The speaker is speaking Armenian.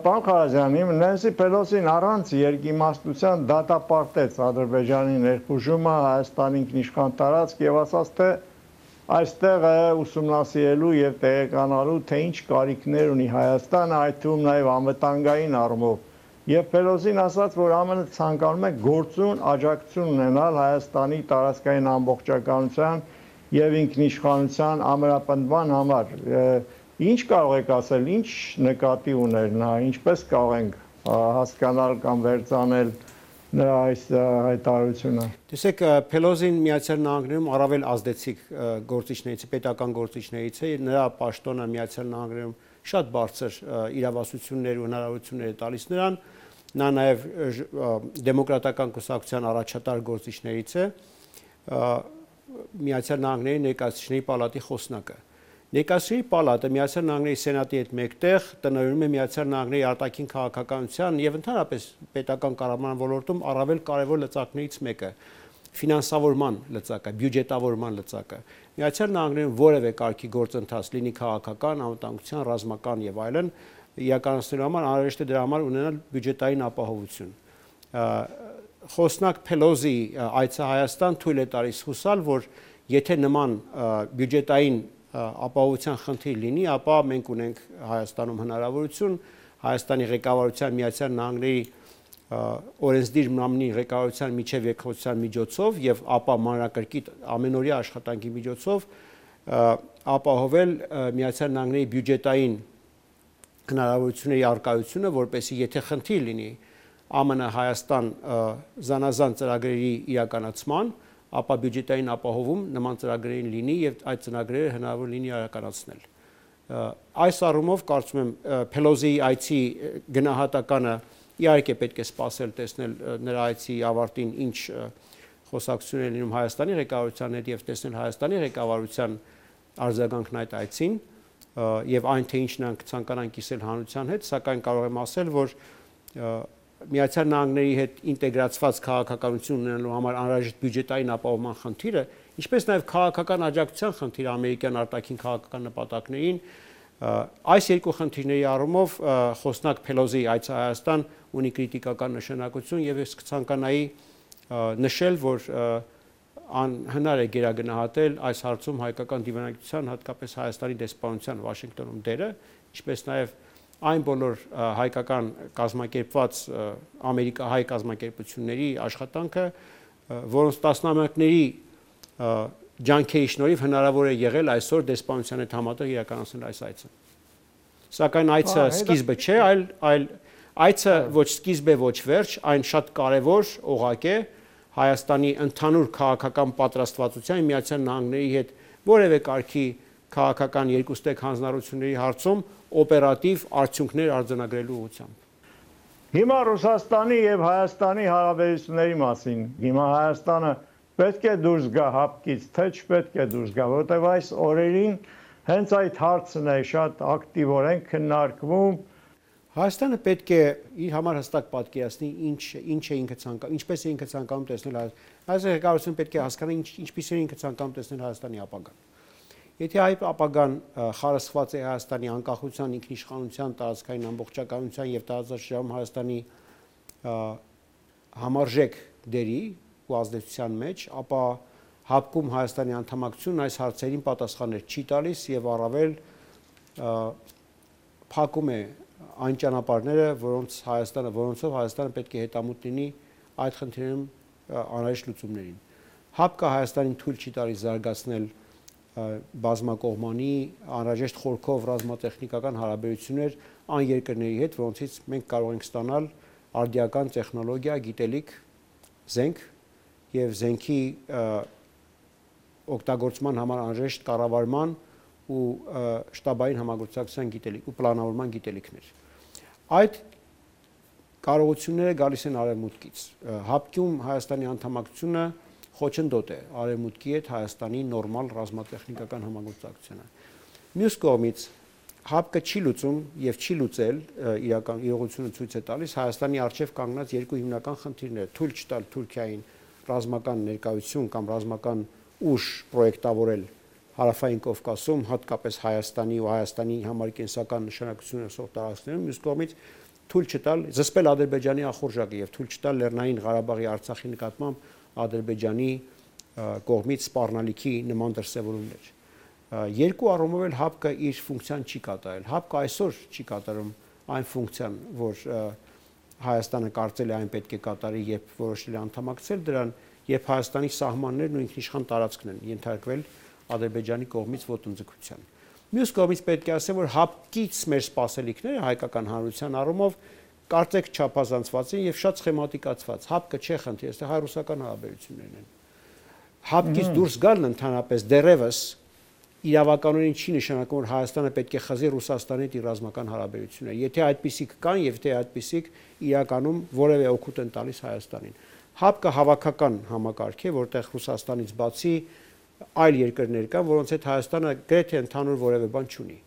Պարոն Ղարազյանի, Նենսի Պելոսին առանց երկիմաստության դատապարտեց Ադրբեջանի ներխուժումը Հայաստանի ինքնիշխան տարածք եւ ասաց, թե այստեղ է ուսումնասիրելու եւ տեղեկանալու, թե ինչ կարիքներ ունի Հայաստանը, այդ թվում նաեւ անվտանգային առումով։ Եվ Պելոսին ասաց, որ ԱՄՆ ցանկանում է գործուն աջակցություն ունենալ Հայաստանի տարածքային ամբողջականության եւ ինքնիշխանության ամրապնդման համար։ Ինչ կարող եք ասել, ինչ նկատի ուներ նա, ինչպես կարող ենք հասկանալ կամ վերցնել նրա այս հայտարարությունը։ Տեսեք, Պելոսին Միացյալ Նահանգներում առավել ազդեցիկ գործիչներից է, պետական գործիչներից է, նրա պաշտոնը Միացյալ Նահանգներում շատ բարձր իրավասություններ ու հնարավորություններ է տալիս նրան, նա նաև դեմոկրատական կուսակցության առաջատար գործիչներից է, Միացյալ Նահանգների ներկայացուցիչների պալատի խոսնակը։ Ներկայացուցիչների պալատը Միացյալ Նահանգների սենատի հետ մեկտեղ տնօրինում է Միացյալ Նահանգների արտաքին քաղաքականության եւ ընդհանրապես պետական կառավարման ոլորտում առավել կարևոր լծակներից մեկը, ֆինանսավորման լծակը, բյուջետավորման լծակը։ Միացյալ Նահանգներում որևէ կարգի գործընթաց լինի քաղաքական, անվտանգության, ռազմական եւ այլն, իրականացնելու համար անհրաժեշտ է դրա համար ունենալ բյուջետային ապահովություն։ Խոսնակ Պելոսի այցը Հայաստան թույլ է տալիս հուսալ, որ եթե նման բյուջետային ապահովության խնդիր լինի, ապա մենք ունենք Հայաստանում հնարավորություն Հայաստանի ղեկավարության Միացյալ Նահանգների օրենսդիր մամլի ղեկավարության միջև երկխոսության միջոցով եւ ապա մանրակրկիտ ամենօրյա աշխատանքի միջոցով ապահովել Միացյալ Նահանգների բյուջետային հնարավորությունների արկայությունը, որպեսզի եթե խնդիր լինի ԱՄՆ-Հայաստան զանազան ծրագրերի իրականացման, ապա բյուջետային ապահովում նման ծրագրերին լինի եւ այդ ծրագրերը հնարավոր լինի իրականացնել։ Այս առումով կարծում եմ Պելոսիի այցի գնահատականը իհարկե պետք է սպասել տեսնել նրա այցի ավարտին ինչ խոսակցություններ լինում Հայաստանի ղեկավարության հետ եւ տեսնել Հայաստանի ղեկավարության արձագանքն այդ այցին եւ այն թե ինչ նրանք ցանկանան կիսել հանրության հետ, սակայն կարող եմ ասել, որ Միացյալ Նահանգների հետ ինտեգրացված քաղաքականություն ունենալու համար անհրաժեշտ բյուջետային ապահովման խնդիրը, ինչպես նաև քաղաքական աջակցության խնդիրը ամերիկյան արտաքին քաղաքական նպատակներին, այս երկու խնդիրների առումով խոսնակ Պելոսի այցը Հայաստան ունի կրիտիկական նշանակություն եւ ես կցանկանայի նշել, որ անհնար է գերագնահատել այս հարցում հայկական դիվանագիտության, հատկապես Հայաստանի դեսպանության Վաշինգտոնում դերը, ինչպես նաև այն բոլոր հայկական կազմակերպված ամերիկահայ կազմակերպությունների աշխատանքը, որոնց տասնամյակների ջանքերի շնորհիվ հնարավոր է եղել այսօր դեսպանության հետ համատեղ իրականացնել այս այցը։ Սակայն այցը սկիզբը չէ, այլ այցը ոչ սկիզբ է, ոչ վերջ, այն շատ կարևոր օղակ է Հայաստանի ընդհանուր քաղաքական պատրաստվածության Միացյալ Նահանգների հետ որևէ կարգի քաղաքական երկուստեք հանձնառությունների հարցում օպերատիվ արդյունքներ արձանագրելու ուղղությամբ։ Հիմա Ռուսաստանի եւ Հայաստանի հարաբերությունների մասին։ Հիմա Հայաստանը պետք է դուրս գա հապկից, թե չպետք է դուրս գա, որովհետեւ այս օրերին հենց այդ հարցն է շատ ակտիվորեն քննարկվում։ Հայաստանը պետք է իր համար հստակ պատկերացնի ինչ է ինքը ցանկանում, ինչպես է ինքը ցանկանում տեսնել Հայաստանի ղեկավարությունը պետք է հասկանա ինչպես է ինքը ցանկանում տեսնել Հայաստանի ապագան։ Եթե այդ ապագան խարսխված է Հայաստանի անկախության, ինքնիշխանության, տարածքային ամբողջականության եւ տարածաշրջանում Հայաստանի համարժեք դերի ու ազդեցության մեջ, ապա հապկում Հայաստանի անդամակցությունն այս հարցերին պատասխաններ չի տալիս եւ առավել փակում է այն ճանապարհները, որոնցով Հայաստանը պետք է հետամուտ լինի այդ խնդիրներում անհրաժեշտ լուծումներին։ Հապկը Հայաստանին թույլ չի տալիս զարգացնել բազմակողմանի անհրաժեշտ խորքով ռազմատեխնիկական հարաբերություններ այն երկրների հետ, որոնցից մենք կարող ենք ստանալ արդիական տեխնոլոգիա, գիտելիք, զենք եւ զենքի օգտագործման համար անհրաժեշտ կառավարման ու շտաբային համագործակցության գիտելիք ու պլանավորման գիտելիքներ։ Այդ կարողությունները գալիս են արևմուտքից։ Հապկյում Հայաստանի անդամակցությունը խոչընդոտ է արևմուտքի հետ Հայաստանի նորմալ ռազմատեխնիկական համագործակցությունը։ Մյուս կողմից հապկը չի լուծում եւ չի լուծել իրական իրողությունը ցույց է տալիս Հայաստանի արչեւ կանգնած երկու հիմնական խնդիրները՝ թույլ չտալ Թուրքիային ռազմական ներկայություն կամ ռազմական ուժ պրոյեկտավորել Հարավային Կովկասում, հատկապես Հայաստանի ու Հայաստանի համար կենսական նշանակություն ունեցող տարածքներում, մյուս կողմից թույլ չտալ զսպել Ադրբեջանի ախորժակը եւ թույլ չտալ Լեռնային Ղարաբաղի Արցախի նկատմամբ Ադրբեջանի կողմից սպառնալիքի նման դրսևորումներ։ Երկու առումով էլ ՀԱՊԿ-ը իր ֆունկցիան չի կատարել։ ՀԱՊԿ-ը այսօր չի կատարում այն ֆունկցիան, որ Հայաստանը կարծել է այն պետք է կատարի, երբ որոշել է անդամակցել դրան, երբ Հայաստանի սահմաններն ու ինքնիշխան տարածքն են ենթարկվել Ադրբեջանի կողմից ոտնձգության։ Մյուս կողմից պետք է ասեմ, որ ՀԱՊԿ-ից մեր սպասելիքները հայկական հանրության առումով կարծեք չափազանցված են եւ շատ սխեմատիկացված։ ՀԱՊԿ-ը չէ խնդիրը, այստեղ հայ-ռուսական հարաբերություններն են։ ՀԱՊԿ-ից դուրս գալն ընդհանրապես դեռևս իրավականորեն չի նշանակում, որ Հայաստանը պետք է խզի Ռուսաստանի հետ իր ռազմական հարաբերությունները։ Եթե այդպիսիք կան եւ թե այդպիսիք իրականում որևէ օգուտ են տալիս Հայաստանին։ ՀԱՊԿ-ը հավաքական համակարգ է, որտեղ Ռուսաստանից բացի այլ երկրներ կան, որոնց հետ Հայաստանը գրեթե ընդհանուր որևէ բան չունի։